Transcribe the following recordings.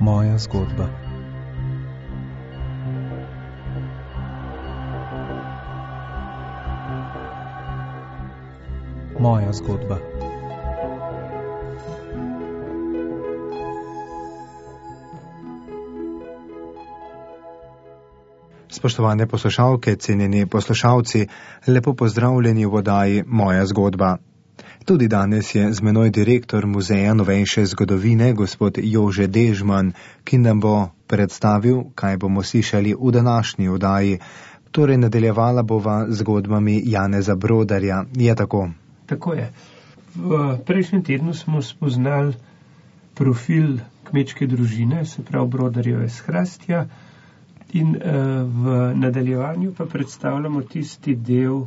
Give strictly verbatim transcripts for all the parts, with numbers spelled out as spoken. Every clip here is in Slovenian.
Moja zgodba. Moja zgodba. Spoštovane poslušalke, cenjeni poslušalci, lepo pozdravljeni v oddaji Moja zgodba. Tudi danes je z menoj direktor Muzeja novejše zgodovine, gospod Jože Dežman, ki nam bo predstavil, kaj bomo slišali v današnji oddaji. Torej, nadaljevala bova zgodbami Janeza Brodarja. Je tako? Tako je. V prejšnjem tednu smo spoznali profil kmečke družine, se pravi Brodarjeve s Hrastja, in v nadaljevanju pa predstavljamo tisti del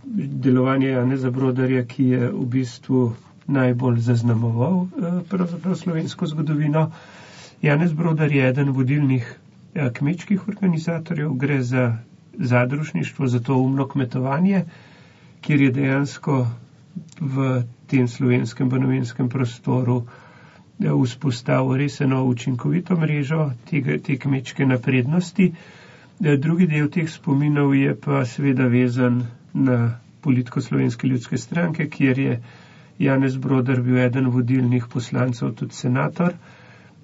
delovanja Janeza Brodarja, ki je v bistvu najbolj zaznamoval pravzaprav slovensko zgodovino. Janez Brodar je eden vodilnih kmečkih organizatorjev, gre za zadružništvo, za to umno kmetovanje, kjer je dejansko v tem slovenskem banovenskem prostoru vzpostavil res eno učinkovito mrežo tega, te kmečke naprednosti. Drugi del teh spominov je pa seveda vezan na politiko Slovenske ljudske stranke, kjer je Janez Brodar bil eden vodilnih poslancev, tudi senator,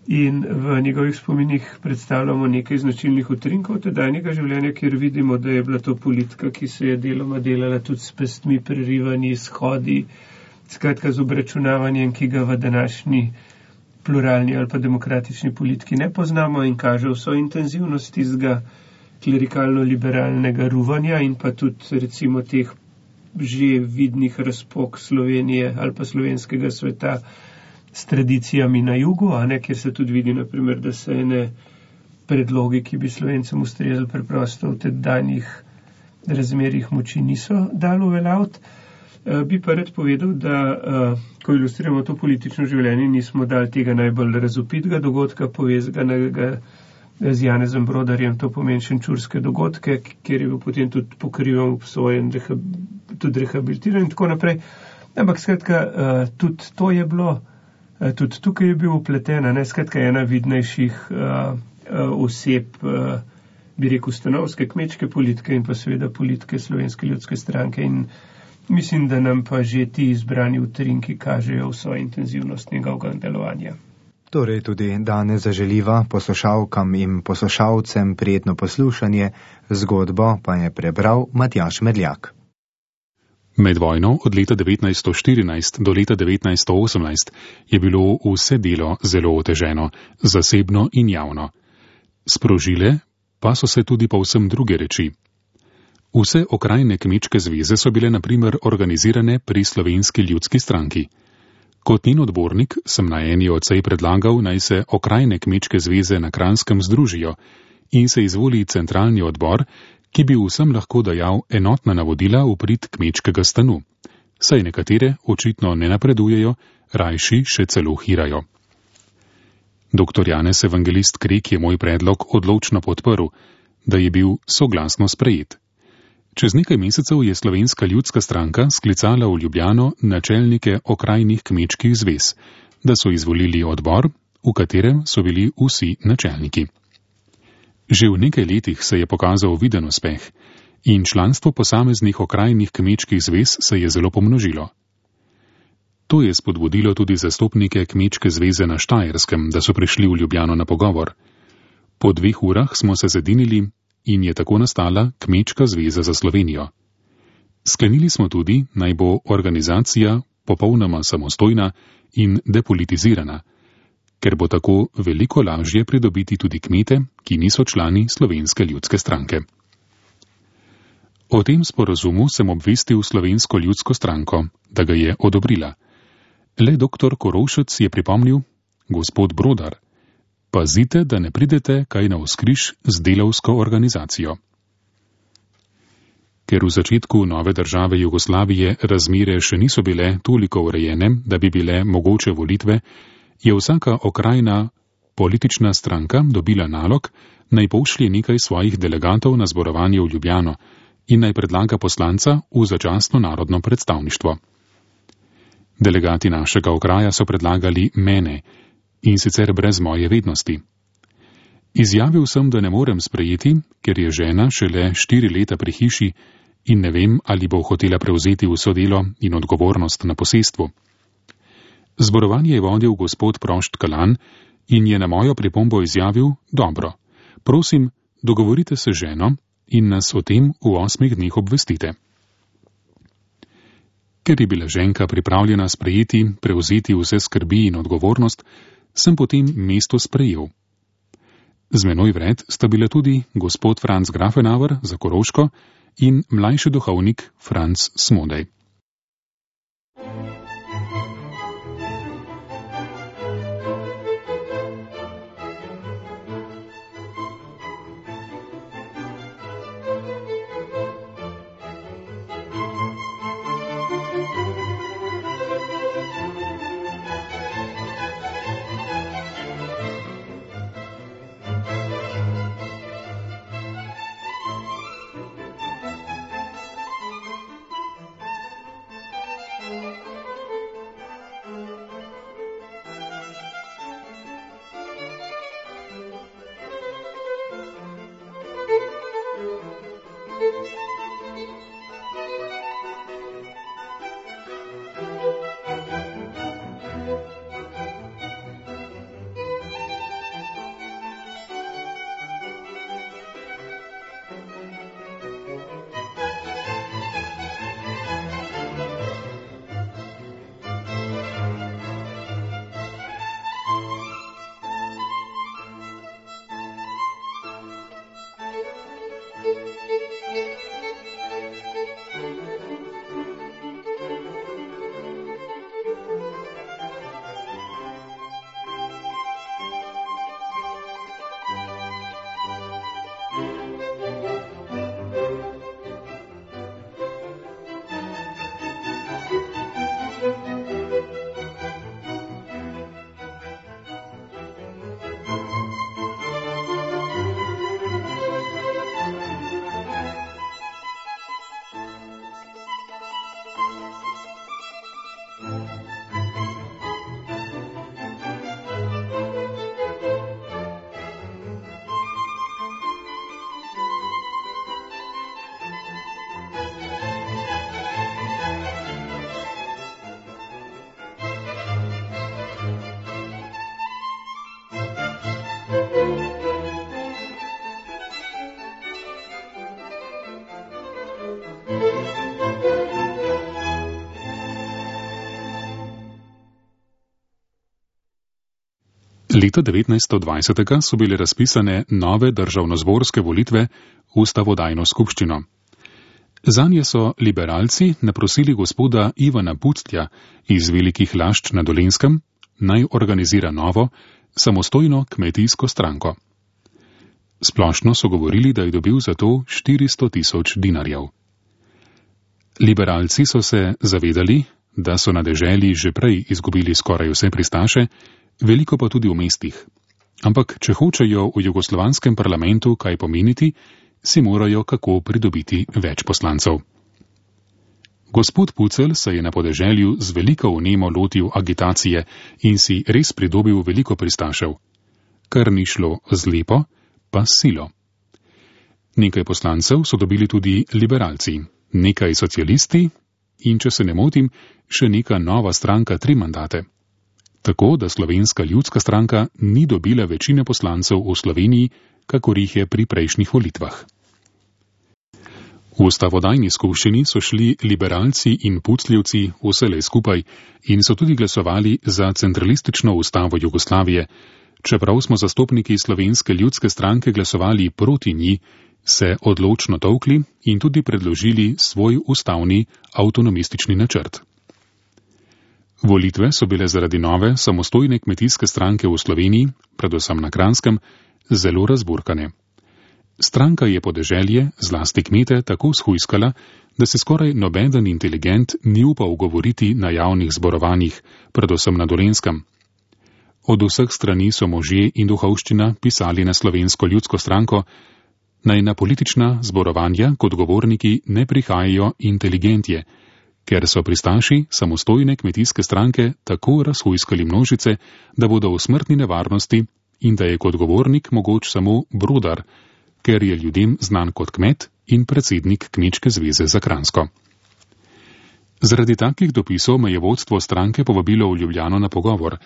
in v njegovih spominih predstavljamo nekaj značilnih utrinkov tedajnega življenja, kjer vidimo, da je bila to politika, ki se je deloma delala tudi s pestmi, prerivanji, shodi, skratka z obračunavanjem, ki ga v današnji pluralni ali pa demokratični politiki ne poznamo in kaže vso intenzivnost tistega klerikalno-liberalnega ruvanja in pa tudi recimo teh že vidnih razpok Slovenije ali pa slovenskega sveta s tradicijami na jugu, a ne, kjer se tudi vidi, naprimer, da se ene predlogi, ki bi Slovencem ustrezali, preprosto v tedajnih razmerjih moči niso dalo uveljaviti. Bi pa rad povedal, da ko ilustriramo to politično življenje, nismo dali tega najbolj razvpitega dogodka povezanega z Janezom Brodarjem, to pomeni šenčurske dogodke, kjer je bil potem tudi pokrivan, obsojen, tudi rehabilitiran in tako naprej. Ampak skratka, tudi to je bilo, tudi tukaj je bil upleten, ne, skratka ena vidnejših oseb, bi rekel, stanovske kmečke politike in pa seveda politike Slovenske ljudske stranke, in mislim, da nam pa že ti izbrani utrinki kažejo vso intenzivnost njegovega delovanja. Torej tudi danes zaželiva poslušalkam in poslušalcem prijetno poslušanje, zgodbo pa je prebral Matjaž Medljak. Med vojno od leta devetnajststo štirinajst do leta devetnajststo osemnajst je bilo vse delo zelo oteženo, zasebno in javno. Sprožile pa so se tudi povsem druge reči. Vse okrajne kmečke zveze so bile na primer organizirane pri Slovenski ljudski stranki. Kot njen odbornik sem na eni od sej predlagal, naj se okrajne kmečke zveze na Kranjskem združijo in se izvoli centralni odbor, ki bi vsem lahko dajal enotna navodila v prid kmečkega stanu. Saj nekatere očitno ne napredujejo, rajši še celo hirajo. Doktor Janez Evangelist Krek je moj predlog odločno podprl, da je bil soglasno sprejet. Čez nekaj mesecev je Slovenska ljudska stranka sklicala v Ljubljano načelnike okrajnih kmečkih zvez, da so izvolili odbor, v katerem so bili vsi načelniki. Že v nekaj letih se je pokazal viden uspeh in članstvo posameznih okrajnih kmečkih zvez se je zelo pomnožilo. To je spodbudilo tudi zastopnike kmečke zveze na Štajerskem, da so prišli v Ljubljano na pogovor. Po dveh urah smo se zedinili in je tako nastala Kmečka zveza za Slovenijo. Sklenili smo tudi, naj bo organizacija popolnoma samostojna in depolitizirana, ker bo tako veliko lažje pridobiti tudi kmete, ki niso člani Slovenske ljudske stranke. O tem sporazumu sem obvestil Slovensko ljudsko stranko, da ga je odobrila. Le doktor Korovšec je pripomnil: gospod Brodar, pazite, da ne pridete kaj na vzkriž z delavsko organizacijo. Ker v začetku nove države Jugoslavije razmere še niso bile toliko urejene, da bi bile mogoče volitve, je vsaka okrajna politična stranka dobila nalog, naj pošlje nekaj svojih delegatov na zborovanje v Ljubljano in naj predlaga poslanca v začasno narodno predstavništvo. Delegati našega okraja so predlagali mene, in sicer brez moje vednosti. Izjavil sem, da ne morem sprejeti, ker je žena šele štiri leta pri hiši in ne vem, ali bo hotela prevzeti vso delo in odgovornost na posestvu. Zborovanje je vodil gospod Prošt Kalan in je na mojo pripombo izjavil: dobro, prosim, dogovorite se z ženo in nas o tem v osmih dneh obvestite. Ker je bila ženka pripravljena sprejeti, prevzeti vse skrbi in odgovornost, sem potem mesto sprejel. Z menoj vred sta bila tudi gospod Franc Grafenauer za Koroško in mlajši duhovnik Franc Smodej. Leta devetnajststo dvajset so bile razpisane nove državnozborske volitve v ustavodajno skupščino. Zanje so liberalci naprosili gospoda Ivana Puclja iz Velikih Lašč na Dolenjskem, naj organizira novo, samostojno kmetijsko stranko. Splošno so govorili, da je dobil za to štiristo tisoč dinarjev. Liberalci so se zavedali, da so na deželi že prej izgubili skoraj vse pristaše, veliko pa tudi v mestih. Ampak, če hočejo v jugoslovanskem parlamentu kaj pomeniti, si morajo kako pridobiti več poslancev. Gospod Pucelj se je na podeželju z veliko vnemo lotil agitacije in si res pridobil veliko pristašev. Kar ni šlo z lepo, pa s silo. Nekaj poslancev so dobili tudi liberalci, nekaj socialisti in, če se ne motim, še neka nova stranka tri mandate. Tako da Slovenska ljudska stranka ni dobila večine poslancev v Sloveniji, kakor jih je pri prejšnjih volitvah. V ustavodajni skupščini so šli liberalci in pucljevci vselej skupaj in so tudi glasovali za centralistično ustavo Jugoslavije. Čeprav smo zastopniki Slovenske ljudske stranke glasovali proti njej, se odločno tolkli in tudi predložili svoj ustavni avtonomistični načrt. Volitve so bile zaradi nove samostojne kmetijske stranke v Sloveniji, predvsem na Kranjskem, zelo razburkane. Stranka je podeželje, zlasti kmete, tako shujskala, da se skoraj nobeden inteligent ni upal govoriti na javnih zborovanjih, predvsem na Dolenjskem. Od vseh strani so možje in duhovščina pisali na Slovensko ljudsko stranko, naj na politična zborovanja kot govorniki ne prihajajo inteligentje, ker so pristaši samostojne kmetijske stranke tako razhujskali množice, da bodo v smrtni nevarnosti in da je kot govornik mogoč samo Brodar, ker je ljudem znan kot kmet in predsednik Kmečke zveze za Kranjsko. Zaradi takih dopisov me je vodstvo stranke povabilo v Ljubljano na pogovor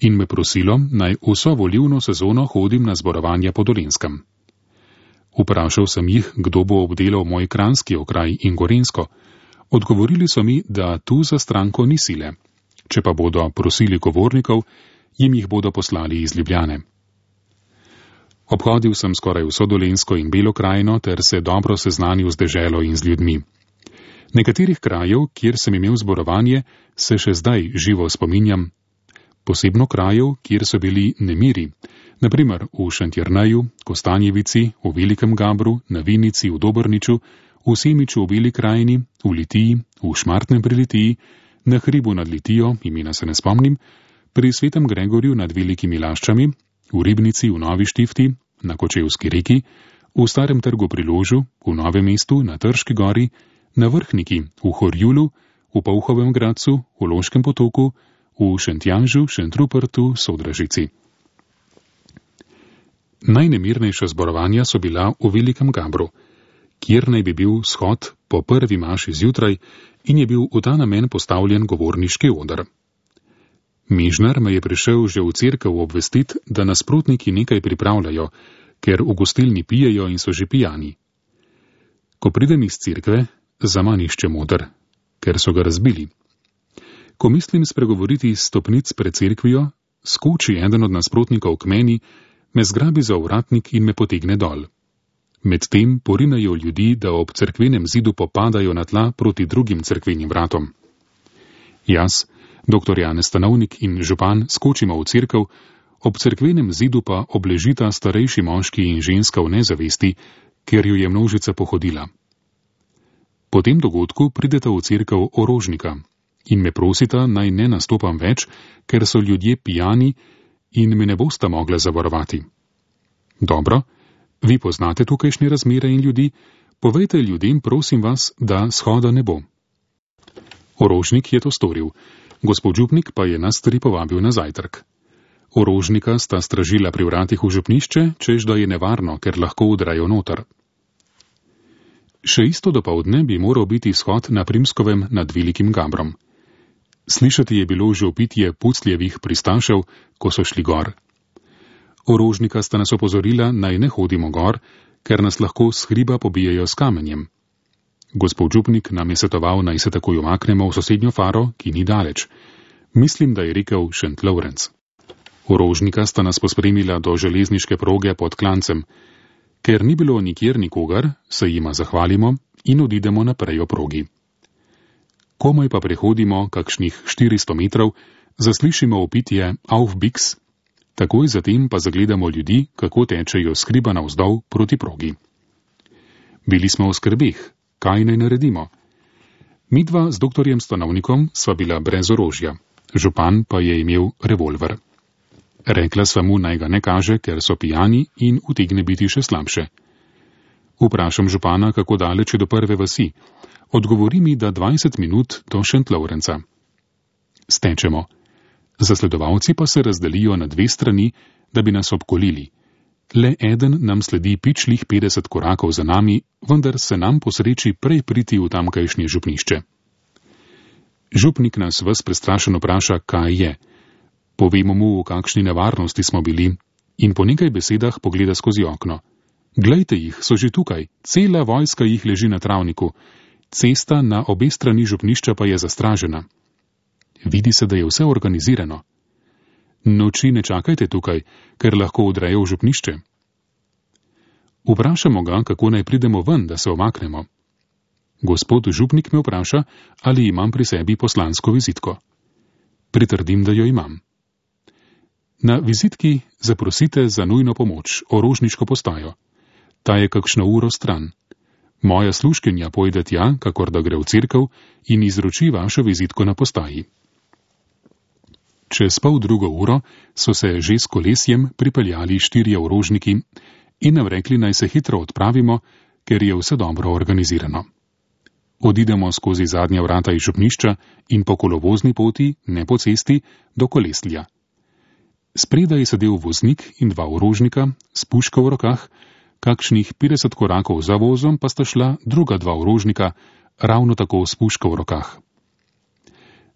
in me prosilo, naj vso volilno sezono hodim na zborovanja po Dolenjskem. Vprašal sem jih, kdo bo obdelal moj kranjski okraj in Gorenjsko. Odgovorili so mi, da tu za stranko ni sile. Če pa bodo prosili govornikov, jim jih bodo poslali iz Ljubljane. Obhodil sem skoraj vso Dolenjsko in Belo krajino ter se dobro seznanil z deželo in z ljudmi. Nekaterih krajev, kjer sem imel zborovanje, se še zdaj živo spominjam. Posebno krajev, kjer so bili nemiri, naprimer v Šentjerneju, Kostanjevici, v Velikem Gabru, na Vinici, v Dobrniču, v Semiču v Beli krajini, v Litiji, v Šmartnem pri Litiji, na hribu nad Litijo, imena se ne spomnim, pri Svetem Gregorju nad Velikimi Laščami, v Ribnici v Novi Štifti, na Kočevski reki, v Starem trgu pri Ložu, v Novem mestu, na Trški gori, na Vrhniki, v Horjulu, v Polhovem Gradcu, v Loškem potoku, v Šentjanžu, Šentrupertu, Sodražici. Najnemirnejša zborovanja so bila v Velikem Gabru, kjer naj bi bil shod po prvi maši zjutraj in je bil v ta namen postavljen govorniški oder. Mežnar me je prišel že v cerkev obvestit, da nasprotniki nekaj pripravljajo, ker v gostilni pijejo in so že pijani. Ko pridem iz cerkve, zaman iščem oder, ker so ga razbili. Ko mislim spregovoriti s stopnic pred cerkvijo, skoči eden od nasprotnikov k meni, me zgrabi za ovratnik in me potegne dol. Medtem porinajo ljudi, da ob cerkvenem zidu popadajo na tla proti drugim cerkvenim vratom. Jaz, doktor Janez Stanovnik in župan skočimo v cerkev, ob cerkvenem zidu pa obležita starejši moški in ženska v nezavesti, ker jo je množica pohodila. Po tem dogodku prideta v cerkev orožnika in me prosita, naj ne nastopam več, ker so ljudje pijani in me ne bosta mogla zavarovati. Dobro, vi poznate tukajšnje razmere in ljudi, povejte ljudem, prosim vas, da shoda ne bo. Orožnik je to storil, gospod župnik pa je nas tri povabil na zajtrk. Orožnika sta stražila pri vratih v župnišče, čež da je nevarno, ker lahko udrajo noter. Še isto dopoldne bi moral biti shod na Primskovem nad Velikim Gabrom. Slišati je bilo že opitje pucljevih pristašev, ko so šli gor. Orožnika sta nas opozorila, naj ne hodimo gor, ker nas lahko s hriba pobijajo s kamenjem. Gospod župnik nam je svetoval, naj se takoj umaknemo v sosednjo faro, ki ni daleč. Mislim, da je rekel Šent Lovrenc. Orožnika sta nas pospremila do železniške proge pod Klancem. Ker ni bilo nikjer nikogar, se jima zahvalimo in odidemo naprej o progi. Komaj pa prehodimo kakšnih štiristo metrov, zaslišimo opitje Auf Bix, takoj zatem pa zagledamo ljudi, kako tečejo s hriba navzdol proti progi. Bili smo v skrbeh, kaj naj naredimo? Midva z doktorjem Stanovnikom sva bila brez orožja, župan pa je imel revolver. Rekla sva mu, naj ga ne kaže, ker so pijani in utegne biti še slabše. Vprašam župana, kako daleč je do prve vasi. Odgovori mi, da dvajset minut do Šent Lovrenca. Stečemo. Zasledovalci pa se razdelijo na dve strani, da bi nas obkolili. Le eden nam sledi pičlih petdeset korakov za nami, vendar se nam posreči prej priti v tamkajšnje župnišče. Župnik nas ves prestrašeno vpraša, kaj je. Povemo mu, v kakšni nevarnosti smo bili, in po nekaj besedah pogleda skozi okno. Glejte jih, so že tukaj, cela vojska jih leži na travniku, cesta na obe strani župnišča pa je zastražena. Vidi se, da je vse organizirano. Noči ne čakajte tukaj, ker lahko udrejo v župnišče. Vprašamo ga, kako naj pridemo ven, da se omaknemo. Gospod župnik me vpraša, ali imam pri sebi poslansko vizitko. Pritrdim, da jo imam. Na vizitki zaprosite za nujno pomoč orožniško postajo. Ta je kakšno uro stran. Moja služkinja pojde tja, kakor da gre v cerkev, in izroči vašo vizitko na postaji. Čez pol drugo uro so se že s kolesjem pripeljali štirje orožniki in nam rekli, naj se hitro odpravimo, ker je vse dobro organizirano. Odidemo skozi zadnja vrata iz župnišča in po kolovozni poti, ne po cesti, do Koleslja. Spredaj je sedel voznik in dva orožnika s puško v rokah, kakšnih petdeset korakov za vozom pa sta šla druga dva orožnika, ravno tako s puško v rokah.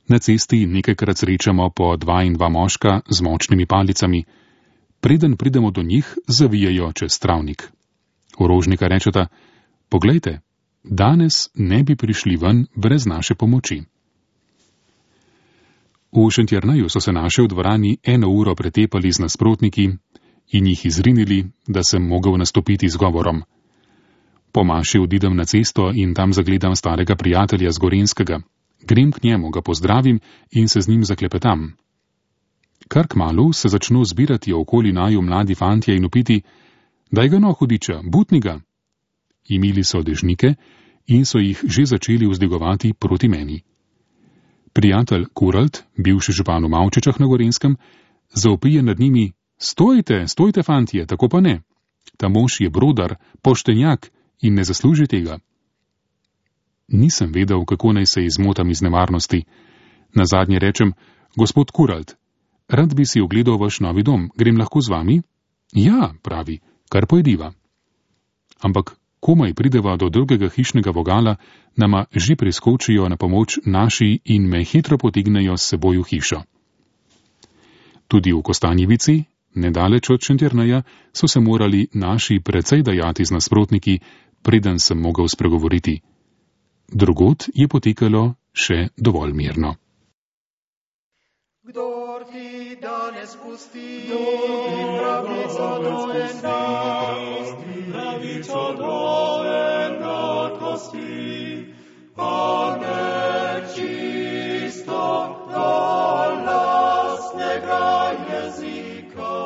Na cesti nekajkrat srečamo po dva in dva moška z močnimi palicami. Preden pridemo do njih, zavijajo čez travnik. Orožnika rečeta: poglejte, danes ne bi prišli ven brez naše pomoči. V Šentjerneju so se naše v dvorani eno uro pretepali z nasprotniki in jih izrinili, da sem mogel nastopiti z govorom. Po maši odidem na cesto in tam zagledam starega prijatelja z Gorenjskega. Grem k njemu, ga pozdravim in se z njim zaklepetam. Kar kmalu se začno zbirati okoli naju mladi fantje in upiti: daj ga no, hudiča, butni ga. Imeli so dežnike in so jih že začeli vzdigovati proti meni. Prijatelj Kuralt, bivši župan v Mavčečah na Gorenjskem, zaupije nad njimi: stojte, stojte fantje, tako pa ne. Ta mož je brodar, poštenjak in ne zasluži tega. Nisem vedel, kako naj se izmotam iz nevarnosti. Nazadnje rečem: gospod Kuralt, rad bi si ogledal vaš novi dom, grem lahko z vami? Ja, pravi, kar pojdiva. Ampak komaj prideva do drugega hišnega vogala, nama že priskočijo na pomoč naši in me hitro potegnejo s seboj v hišo. Tudi v Kostanjevici, nedaleč od Šentjerneja, so se morali naši precej dajati z nasprotniki, preden sem mogel spregovoriti. Drugod je potekalo še dovolj mirno. Kdor ti danes pusti, pravico do enakosti, pravico do enakosti, pa nečisto do lastnega jezika,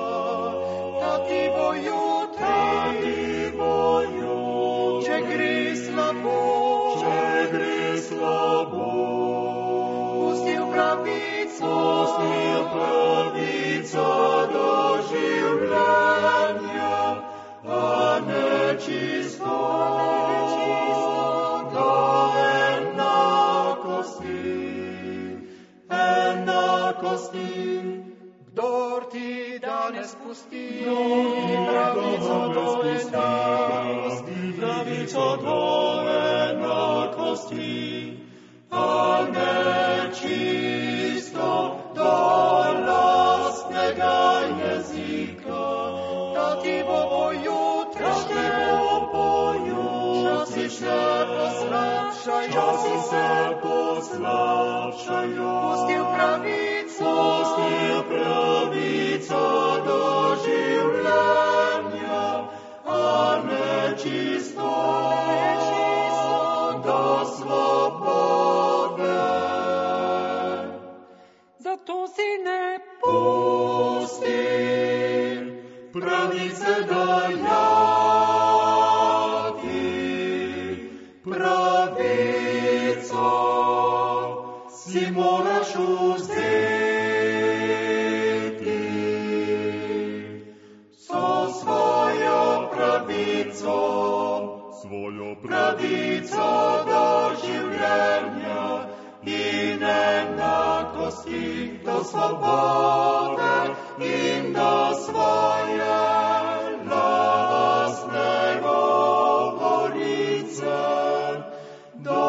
da ti bo jutri, če gre slabo, če gre slabo, pustil pravico, pustil pravico do življenja, a nečisto, nečisto do enakosti, enakosti. Kdor ti danes pusti, pravico do enakosti, pravico do enakosti, a nečisto do lastnega jezika, da ti bo bo jutri, časi se poslabšajo, časi se poslabšajo, pustil pravico, pustil pravico do življenja, a nečisto, nečisto do svobode. Zato si ne pusti pravice dajati, pravico si moraš vzeti, so svojo pravico, svojo pravico do življenja in enakosti, do svobode in do svoje lastne govorice, do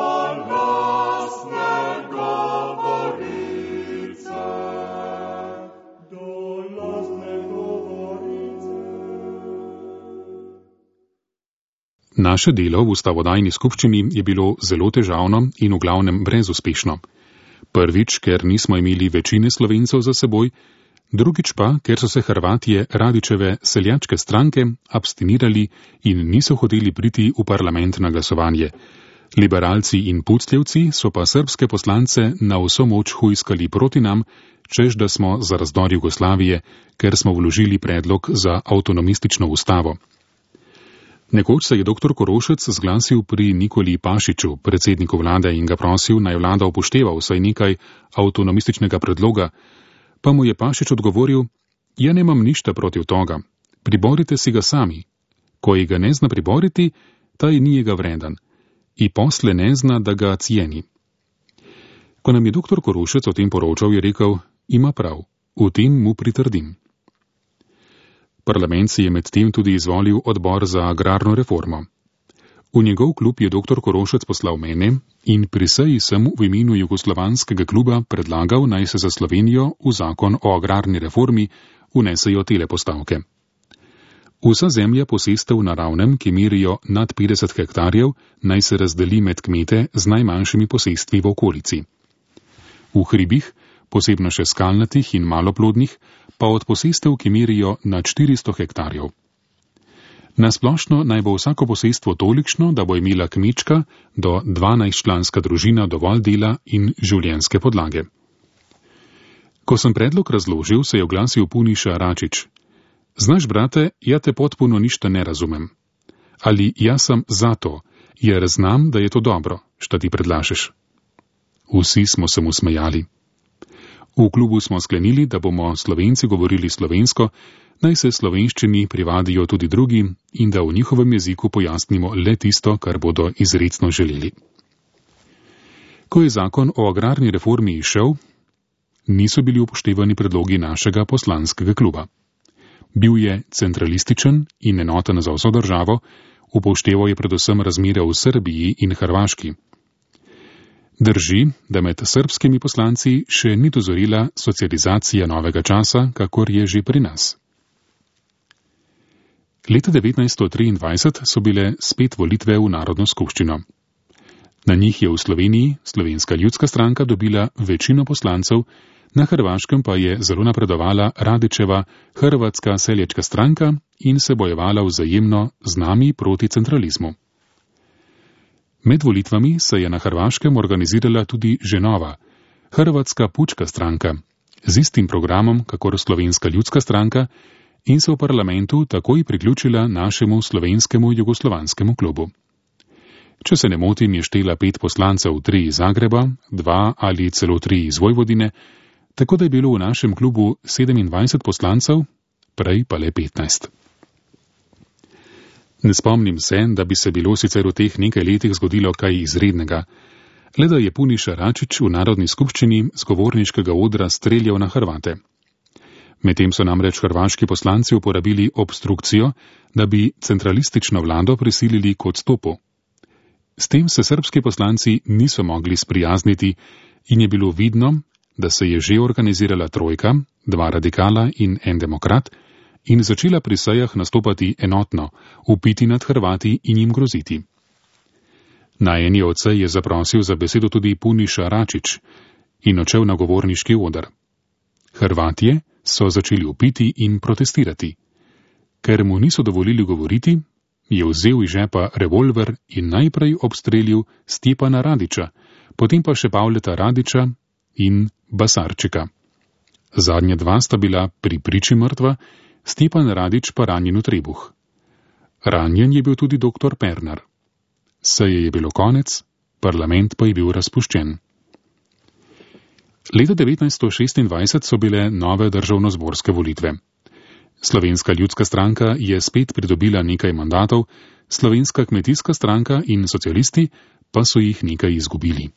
lastne govorice, do lastne govorice. Naše delo v ustavodajni skupščini je bilo zelo težavno in v glavnem brezuspešno. Prvič, ker nismo imeli večine Slovencev za seboj, drugič pa, ker so se Hrvatje Radičeve seljačke stranke abstinirali in niso hoteli priti v parlament na glasovanje. Liberalci in pucljevci so pa srbske poslance na vso moč hujskali proti nam, čež da smo za razdor Jugoslavije, ker smo vložili predlog za avtonomistično ustavo. Nekoč se je doktor Korošec zglasil pri Nikoli Pašiču, predsedniku vlade, in ga prosil, naj vlada upošteva vsaj nekaj avtonomističnega predloga, pa mu je Pašič odgovoril: ja nemam ništa protiv toga, priborite si ga sami. Ko ji ga ne zna priboriti, taj nije ga vredan. i posle ne zna, da ga cijeni. Ko nam je doktor Korošec o tem poročal, je rekel, ima prav, v tem mu pritrdim. Parlament si je med tem tudi izvolil odbor za agrarno reformo. V njegov klub je doktor Korošec poslal mene in pri seji sem v imenu Jugoslovanskega kluba predlagal, naj se za Slovenijo v zakon o agrarni reformi vnesejo tele postavke. Vsa zemlja posestev na ravnem, ki merijo nad petdeset hektarjev, naj se razdeli med kmete z najmanjšimi posestvi v okolici. V hribih, posebno še skalnatih in maloplodnih, pa od posestev, ki merijo nad štiristo hektarjev. Nasplošno naj bo vsako posestvo tolikšno, da bo imela kmečka do dvanajstčlanska družina dovolj dela in življenjske podlage. Ko sem predlog razložil, se je oglasil Puniša Račič. Znaš, brate, ja te potpuno ništa ne razumem. Ali ja sam zato, jer znam, da je to dobro, šta ti predlažeš. Vsi smo se mu smejali. V klubu smo sklenili, da bomo Slovenci govorili slovensko, naj se slovenščini privadijo tudi drugi in da v njihovem jeziku pojasnimo le tisto, kar bodo izrecno želeli. Ko je zakon o agrarni reformi išel, niso bili upoštevani predlogi našega poslanskega kluba. Bil je centralističen in enoten za vso državo, upošteval je predvsem razmere v Srbiji in Hrvaški. Drži, da med srbskimi poslanci še ni dozorila socializacija novega časa, kakor je že pri nas. Leta devetnajststo triindvajset so bile spet volitve v Narodno skupščino. Na njih je v Sloveniji Slovenska ljudska stranka dobila večino poslancev, na Hrvaškem pa je zelo napredovala Radićeva Hrvatska seljačka stranka in se bojevala vzajemno z nami proti centralizmu. Med volitvami se je na Hrvaškem organizirala tudi že nova, Hrvatska pučka stranka, z istim programom, kakor Slovenska ljudska stranka, in se v parlamentu takoj priključila našemu slovenskemu jugoslovanskemu klubu. Če se ne motim, je štela pet poslancev, tri iz Zagreba, dva ali celo tri iz Vojvodine, tako da je bilo v našem klubu sedemindvajset poslancev, prej pa le petnajst. Ne spomnim se, da bi se bilo sicer v teh nekaj letih zgodilo kaj izrednega, le da je Puniša Račič v Narodni skupščini z govorniškega odra streljal na Hrvate. Medtem so namreč hrvaški poslanci uporabili obstrukcijo, da bi centralistično vlado prisilili k odstopu. S tem se srbski poslanci niso mogli sprijazniti in je bilo vidno, da se je že organizirala trojka, dva radikala in en demokrat, in začela pri sejah nastopati enotno, vpiti nad Hrvati in jim groziti. Na eni od sej je zaprosil za besedo tudi Puniša Račič in odšel na govorniški oder. Hrvatje so začeli vpiti in protestirati. Ker mu niso dovolili govoriti, je vzel iz žepa revolver in najprej obstrelil Stjepana Radića, potem pa še Pavleta Radića in Basarčika. Zadnja dva sta bila pri priči mrtva, Stjepan Radić pa ranjen v trebuh. Ranjen je bil tudi doktor Pernar. Seje je bilo konec, parlament pa je bil razpuščen. Leta devetnajststo šestindvajset so bile nove državnozborske volitve. Slovenska ljudska stranka je spet pridobila nekaj mandatov, Slovenska kmetijska stranka in socialisti pa so jih nekaj izgubili.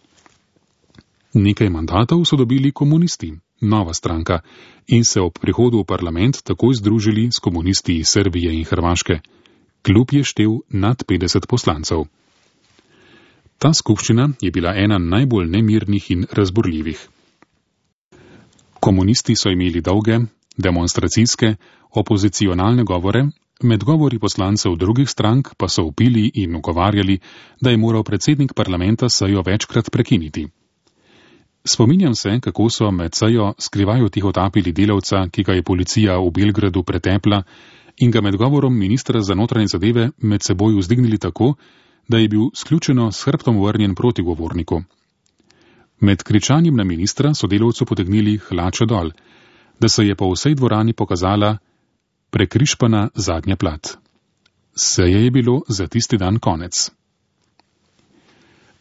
Nekaj mandatov so dobili komunisti, nova stranka, in se ob prihodu v parlament takoj združili s komunisti iz Srbije in Hrvaške. Klub je štel nad petdeset poslancev. Ta skupščina je bila ena najbolj nemirnih in razburljivih. Komunisti so imeli dolge, demonstracijske, opozicionalne govore, med govori poslancev drugih strank pa so vpili in ugovarjali, da je moral predsednik parlamenta sejo večkrat prekiniti. Spominjam se, kako so med sejo skrivajo tihotapili delavca, ki ga je policija v Belgradu pretepla, in ga med govorom ministra za notranje zadeve med seboj vzdignili tako, da je bil sključeno s hrbtom vrnjen proti govorniku. Med kričanjem na ministra so delavcu potegnili hlače dol, da se je po vsej dvorani pokazala prekrišpana zadnja plat. Seje je bilo za tisti dan konec.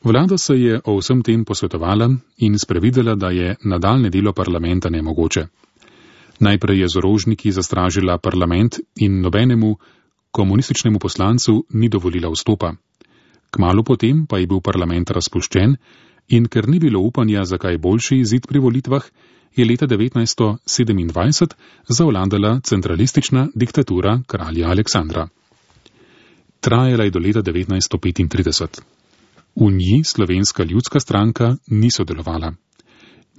Vlada se je o vsem tem posvetovala in sprevidela, da je nadaljne delo parlamenta nemogoče. Najprej je z orožniki zastražila parlament in nobenemu komunističnemu poslancu ni dovolila vstopa. Kmalu potem pa je bil parlament razpuščen in ker ni bilo upanja za kaj boljši izid pri volitvah, je leta devetnajststo sedemindvajset zavladala centralistična diktatura kralja Aleksandra. Trajala je do leta devetnajststo petintrideset. V njej Slovenska ljudska stranka ni sodelovala.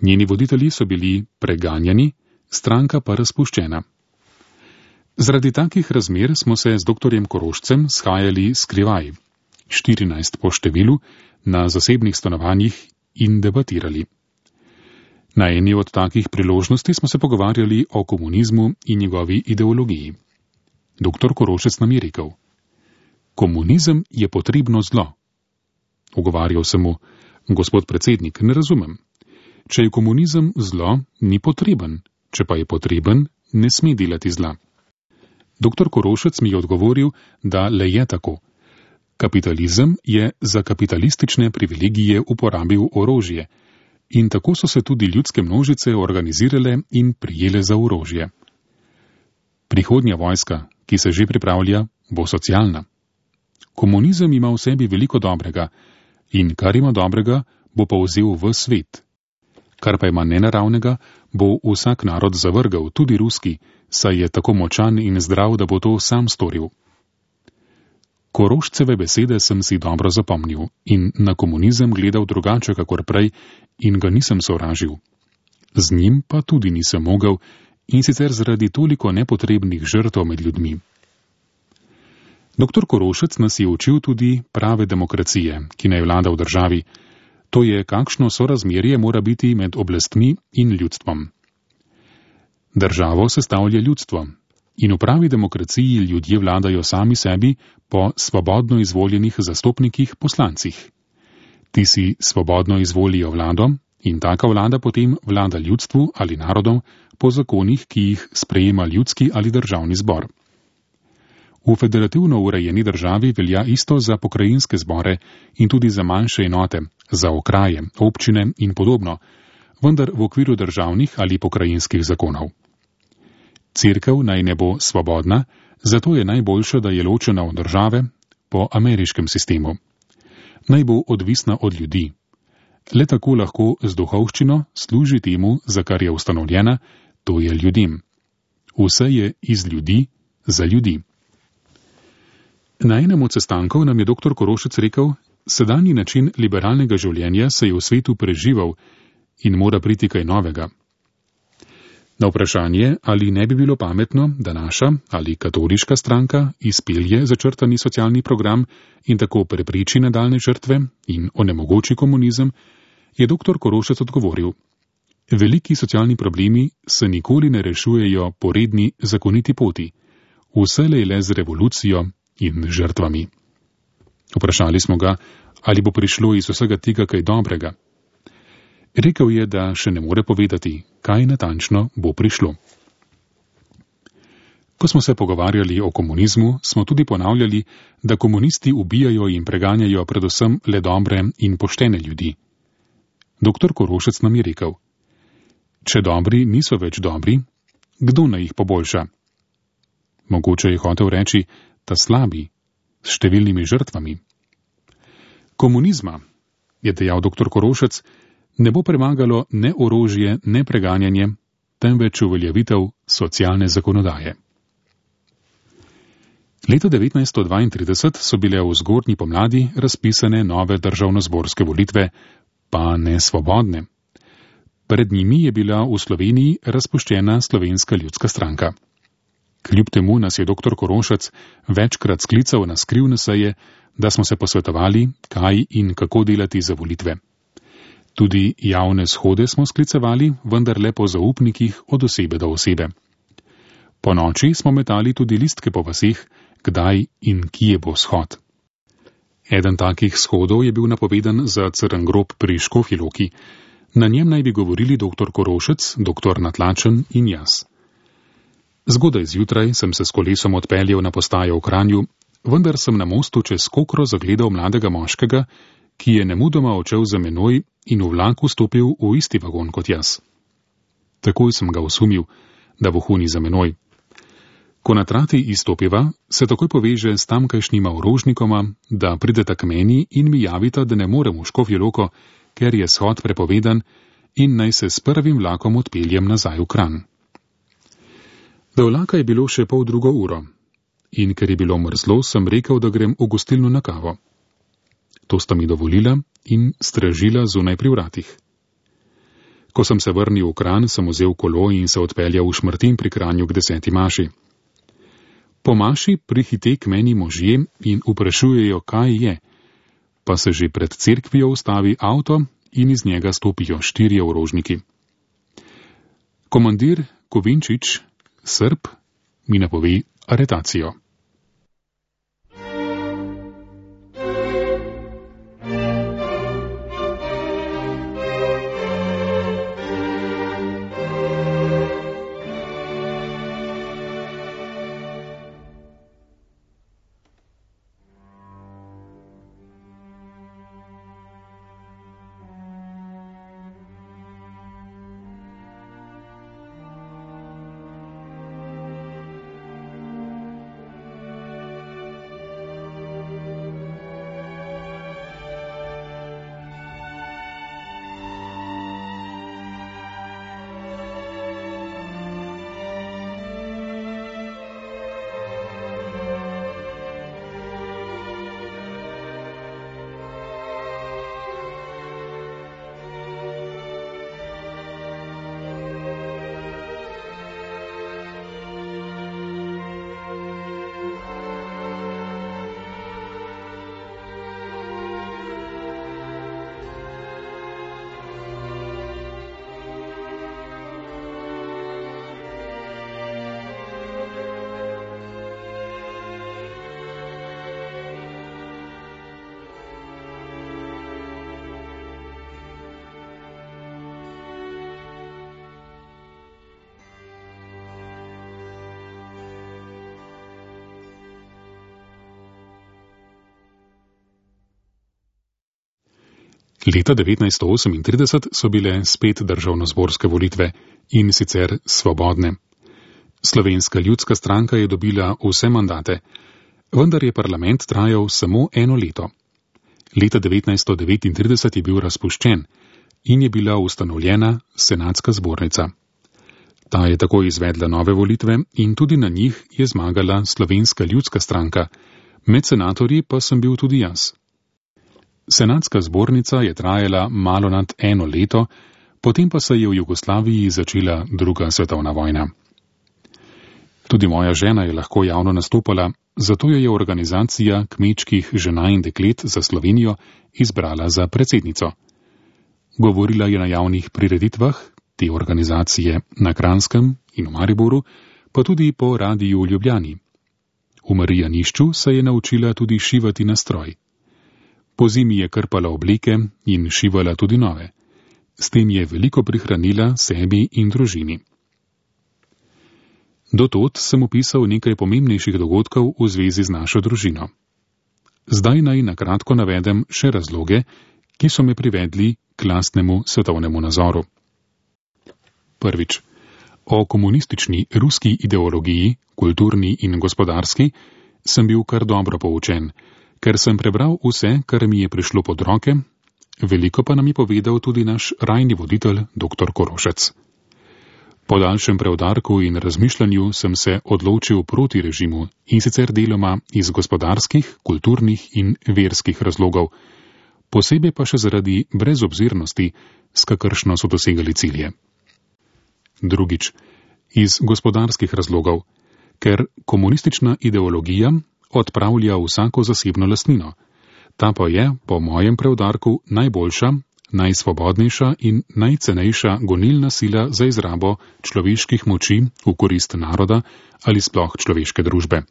Njeni voditelji so bili preganjani, stranka pa razpuščena. Zaradi takih razmer smo se z doktorjem Korošcem shajali skrivaj, štirinajst po številu, na zasebnih stanovanjih in debatirali. Na eni od takih priložnosti smo se pogovarjali o komunizmu in njegovi ideologiji. Doktor Korošec nam je rekel: komunizem je potrebno zlo. Ugovarjal sem mu: gospod predsednik, ne razumem. Če je komunizem zlo, ni potreben, če pa je potreben, ne sme delati zla. Doktor Korošec mi je odgovoril, da le je tako. Kapitalizem je za kapitalistične privilegije uporabil orožje in tako so se tudi ljudske množice organizirale in prijele za orožje. Prihodnja vojska, ki se že pripravlja, bo socialna. Komunizem ima v sebi veliko dobrega in kar ima dobrega, bo pa vzel v svet. Kar pa ima nenaravnega, bo vsak narod zavrgal, tudi ruski, saj je tako močan in zdrav, da bo to sam storil. Korošceve besede sem si dobro zapomnil in na komunizem gledal drugače kakor prej in ga nisem sovražil. Z njim pa tudi nisem mogel in sicer zaradi toliko nepotrebnih žrtev med ljudmi. Doktor Korošec nas je učil tudi prave demokracije, ki naj vlada v državi. To je, kakšno sorazmerje mora biti med oblastmi in ljudstvom. Državo sestavlja ljudstvo in v pravi demokraciji ljudje vladajo sami sebi po svobodno izvoljenih zastopnikih poslancih. Ti si svobodno izvolijo vlado in taka vlada potem vlada ljudstvu ali narodom po zakonih, ki jih sprejema ljudski ali državni zbor. V federativno urejeni državi velja isto za pokrajinske zbore in tudi za manjše enote, za okraje, občine in podobno, vendar v okviru državnih ali pokrajinskih zakonov. Cerkev naj ne bo svobodna, zato je najboljše, da je ločena od države po ameriškem sistemu. Naj bo odvisna od ljudi. Le tako lahko z duhovščino služi temu, za kar je ustanovljena, to je ljudem. Vse je iz ljudi, za ljudi. Na enem od sestankov nam je doktor Korošec rekel: sedanji način liberalnega življenja se je v svetu preživel in mora priti kaj novega. Na vprašanje, ali ne bi bilo pametno, da naša ali katoliška stranka izpelje začrtani socialni program in tako prepriči nadaljne žrtve in onemogoči komunizem, je doktor Korošec odgovoril: veliki socialni problemi se nikoli ne rešujejo po redni zakoniti poti, vselej le z revolucijo in žrtvami. Vprašali smo ga, ali bo prišlo iz vsega tega kaj dobrega. Rekel je, da še ne more povedati, kaj natančno bo prišlo. Ko smo se pogovarjali o komunizmu, smo tudi ponavljali, da komunisti ubijajo in preganjajo predvsem le dobre in poštene ljudi. Doktor Korošec nam je rekel: če dobri niso več dobri, kdo naj jih poboljša? Mogoče je hotel reči, ta slabi, s številnimi žrtvami. Komunizma, je dejal doktor Korošec, ne bo premagalo ne orožje, ne preganjanje, temveč uveljavitev socialne zakonodaje. Leta devetnajststo dvaintrideset so bile v zgodnji pomladi razpisane nove državnozborske volitve, pa ne svobodne. Pred njimi je bila v Sloveniji razpuščena Slovenska ljudska stranka. Kljub temu nas je doktor Korošec večkrat sklical na skrivne seje, da smo se posvetovali, kaj in kako delati za volitve. Tudi javne shode smo sklicevali, vendar le po zaupnikih od osebe do osebe. Po noči smo metali tudi listke po vaseh, kdaj in kje bo shod. Eden takih shodov je bil napovedan za Crn grob pri Škofji Loki. Na njem naj bi govorili doktor Korošec, doktor Natlačen in jaz. Zgodaj zjutraj sem se s kolesom odpeljal na postajo v Kranju, vendar sem na mostu čez Kokro zagledal mladega moškega, ki je nemudoma odšel za menoj in v vlak vstopil v isti vagon kot jaz. Takoj sem ga osumil, da vohuni za menoj. Ko na trati izstopiva, se takoj poveže s tamkajšnjima orožnikoma, da prideta k meni in mi javita, da ne morem v Škofjo Loko, ker je shod prepovedan in naj se s prvim vlakom odpeljem nazaj v Kranj. Do vlaka je bilo še pol drugo uro in ker je bilo mrzlo, sem rekel, da grem v gostilno na kavo. To sta mi dovolila in stražila zunaj pri vratih. Ko sem se vrnil v Kranj, sem vzel kolo in se odpeljal v Šmartin pri Kranju k deseti maši. Po maši prihite k meni možje in vprašujejo, kaj je, pa se že pred cerkvijo ustavi avto in iz njega stopijo štirje orožniki. Komandir Kovinčič, Srb, mi napove aretacijo. Leta devetnajststo osemintrideset so bile spet državnozborske volitve in sicer svobodne. Slovenska ljudska stranka je dobila vse mandate, vendar je parlament trajal samo eno leto. Leta devetnajststo devetintrideset je bil razpuščen in je bila ustanovljena senatska zbornica. Ta je tako izvedla nove volitve in tudi na njih je zmagala Slovenska ljudska stranka, med senatorji pa sem bil tudi jaz. Senatska zbornica je trajala malo nad eno leto, potem pa se je v Jugoslaviji začela druga svetovna vojna. Tudi moja žena je lahko javno nastopala, zato jo je organizacija kmečkih žena in deklet za Slovenijo izbrala za predsednico. Govorila je na javnih prireditvah te organizacije na Kranjskem in v Mariboru, pa tudi po radiju v Ljubljani. V Marijanišču se je naučila tudi šivati na stroj. Po zimi je krpala obleke in šivala tudi nove. S tem je veliko prihranila sebi in družini. Dotod sem opisal nekaj pomembnejših dogodkov v zvezi z našo družino. Zdaj naj na kratko navedem še razloge, ki so me privedli k lastnemu svetovnemu nazoru. Prvič. O komunistični ruski ideologiji, kulturni in gospodarski, sem bil kar dobro poučen, ker sem prebral vse, kar mi je prišlo pod roke, veliko pa nam je povedal tudi naš rajni voditelj, doktor Korošec. Po daljšem preudarku in razmišljanju sem se odločil proti režimu in sicer deloma iz gospodarskih, kulturnih in verskih razlogov, posebej pa še zaradi brezobzirnosti, s kakršno so dosegali cilje. Drugič, iz gospodarskih razlogov, ker komunistična ideologija odpravlja vsako zasebno lastnino. Ta pa je, po mojem preudarku, najboljša, najsvobodnejša in najcenejša gonilna sila za izrabo človeških moči v korist naroda ali sploh človeške družbe.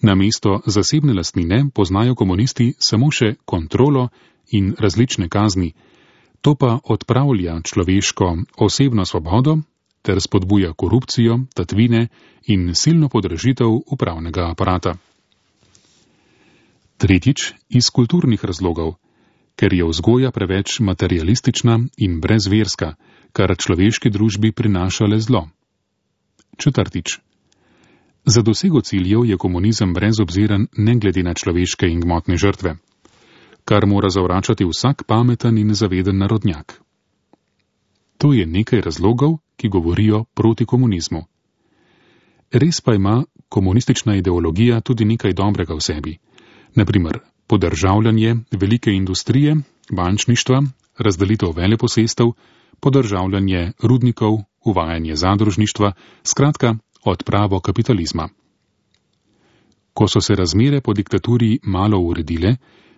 Namesto zasebne lastnine poznajo komunisti samo še kontrolo in različne kazni, to pa odpravlja človeško osebno svobodo ter spodbuja korupcijo, tatvine in silno podražitev upravnega aparata. Tretjič, iz kulturnih razlogov, ker je vzgoja preveč materialistična in brezverska, kar človeški družbi prinaša le zlo. Četrtič. Za dosego ciljev je komunizem brezobziren ne glede na človeške in gmotne žrtve, kar mora zavračati vsak pameten in zaveden narodnjak. To je nekaj razlogov, ki govorijo proti komunizmu. Res pa ima komunistična ideologija tudi nekaj dobrega v sebi. Naprimer, podržavljanje velike industrije, bančništva, razdelitev veleposestev, podržavljanje rudnikov, uvajanje zadružništva, skratka, odpravo kapitalizma. Ko so se razmere po diktaturi malo uredile,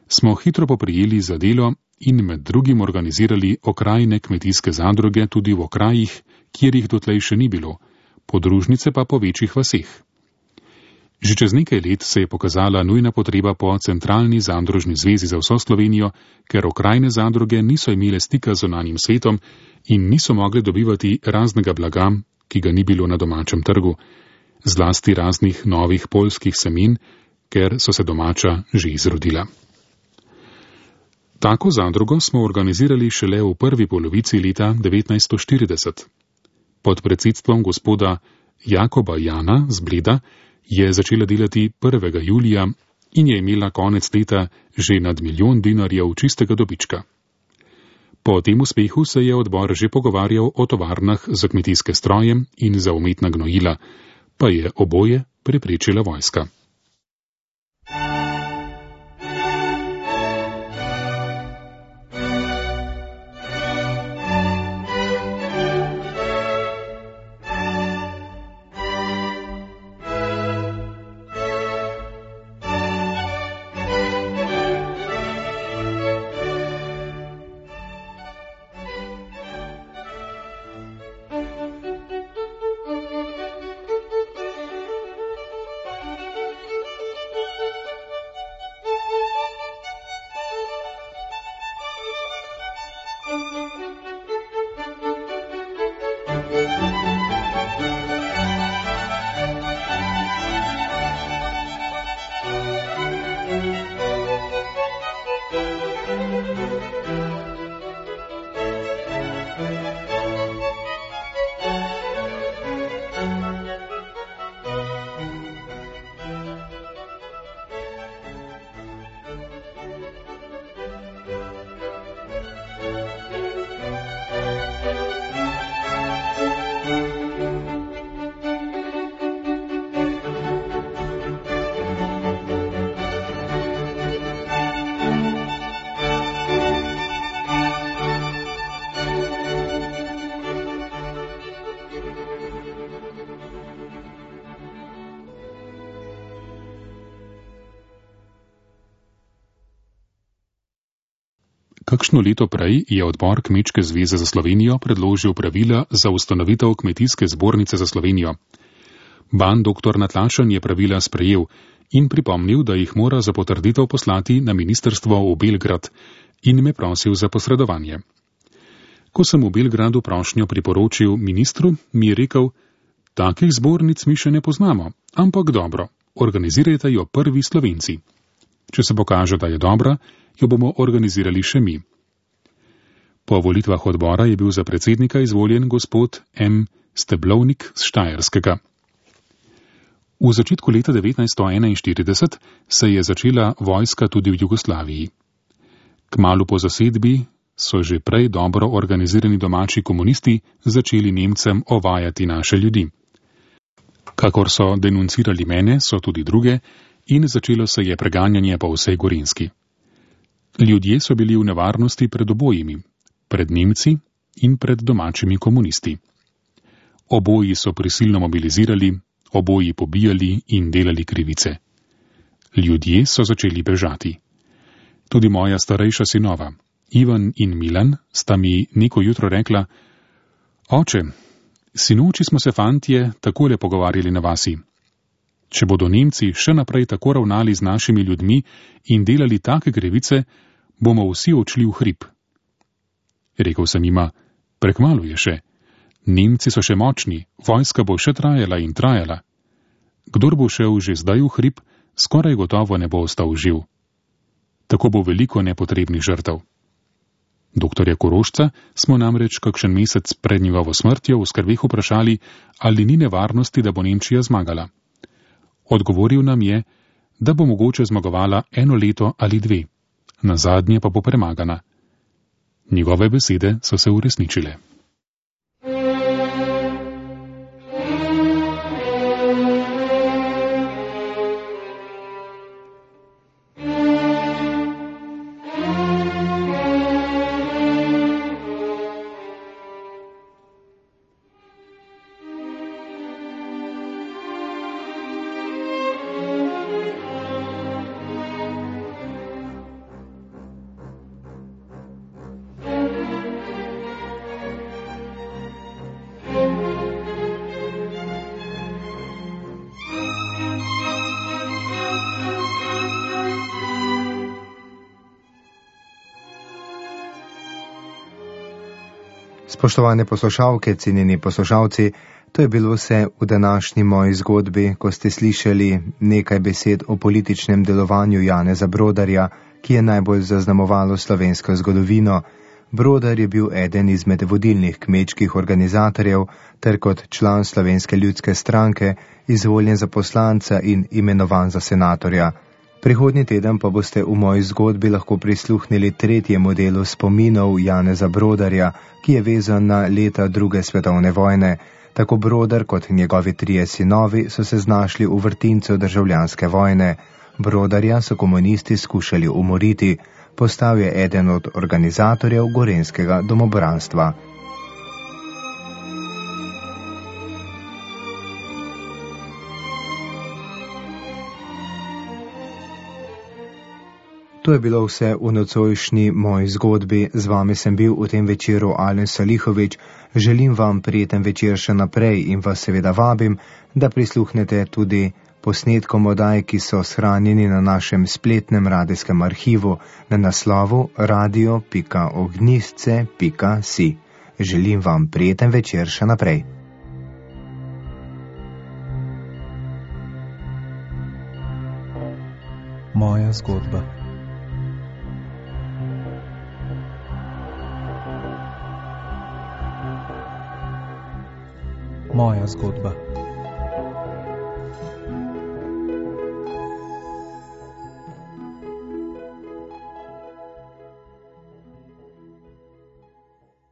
smo hitro poprijeli za delo in med drugim organizirali okrajne kmetijske zadruge tudi v okrajih, kjer jih dotlej še ni bilo, podružnice pa po večjih vaseh. Že čez nekaj let se je pokazala nujna potreba po centralni zadružni zvezi za vso Slovenijo, ker okrajne zadruge niso imele stika z zunanjim svetom in niso mogle dobivati raznega blaga, ki ga ni bilo na domačem trgu, zlasti raznih novih poljskih semen, ker so se domača že izrodila. Tako zadrugo smo organizirali šele v prvi polovici leta devetnajststo štirideset. Pod predsedstvom gospoda Jakoba Jana z Bleda je začela delati prvega julija in je imela konec leta že nad milijon dinarjev čistega dobička. Po tem uspehu se je odbor že pogovarjal o tovarnah za kmetijske stroje in za umetna gnojila, pa je oboje preprečila vojska. Kakšno leto prej je odbor Kmečke zveze za Slovenijo predložil pravila za ustanovitev Kmetijske zbornice za Slovenijo. Ban doktor Natlašen je pravila sprejel in pripomnil, da jih mora za potrditev poslati na ministrstvo v Belgrad in me prosil za posredovanje. Ko sem v Belgradu prošnjo priporočil ministru, mi je rekel, takih zbornic mi še ne poznamo, ampak dobro, organizirajte jo prvi Slovenci. Če se pokaže, da je dobra, jo bomo organizirali še mi. Po volitvah odbora je bil za predsednika izvoljen gospod M. Steblovnik z Štajerskega. V začetku leta devetnajststo enainštirideset se je začela vojska tudi v Jugoslaviji. Kmalu po zasedbi so že prej dobro organizirani domači komunisti začeli Nemcem ovajati naše ljudi. Kakor so denuncirali mene, so tudi druge in začelo se je preganjanje po vsej Gorenjski. Ljudje so bili v nevarnosti pred obojimi, pred Nemci in pred domačimi komunisti. Oboji so prisilno mobilizirali, oboji pobijali in delali krivice. Ljudje so začeli bežati. Tudi moja starejša sinova, Ivan in Milan, sta mi neko jutro rekla, oče, sinoči smo se fantje takole pogovarjali na vasi. Če bodo Nemci še naprej tako ravnali z našimi ljudmi in delali take krivice, bomo vsi odšli v hrib. Rekel sem jima, prekmalu je še. Nemci so še močni, vojska bo še trajala in trajala. Kdor bo šel že zdaj v hrib, skoraj gotovo ne bo ostal živ. Tako bo veliko nepotrebnih žrtev. Doktorja Korošca smo namreč kakšen mesec pred njegovo smrtjo v skrbeh vprašali, ali ni nevarnosti, da bo Nemčija zmagala. Odgovoril nam je, da bo mogoče zmagovala eno leto ali dve, nazadnje pa bo premagana. Njegove besede so se uresničile. Spoštovane poslušalke, cenjeni poslušalci, to je bilo vse v današnji moji zgodbi, ko ste slišali nekaj besed o političnem delovanju Janeza Brodarja, ki je najbolj zaznamovalo slovensko zgodovino. Brodar je bil eden izmed vodilnih kmečkih organizatorjev ter kot član Slovenske ljudske stranke izvoljen za poslanca in imenovan za senatorja. Prihodnji teden pa boste v moji zgodbi lahko prisluhnili tretjemu delu spominov Janeza Brodarja, ki je vezan na leta druge svetovne vojne. Tako Brodar kot njegovi trije sinovi so se znašli v vrtincu državljanske vojne. Brodarja so komunisti skušali umoriti, postal je eden od organizatorjev gorenjskega domobranstva. To je bilo vse v nocojšnji moji zgodbi. Z vami sem bil v tem večeru Alen Salihovič. Želim vam prijeten večer še naprej in vas seveda vabim, da prisluhnete tudi posnetkom oddaj, ki so shranjeni na našem spletnem radijskem arhivu na naslovu radio pika ognjisce pika si. Želim vam prijeten večer še naprej. Moja zgodba. Moja zgodba.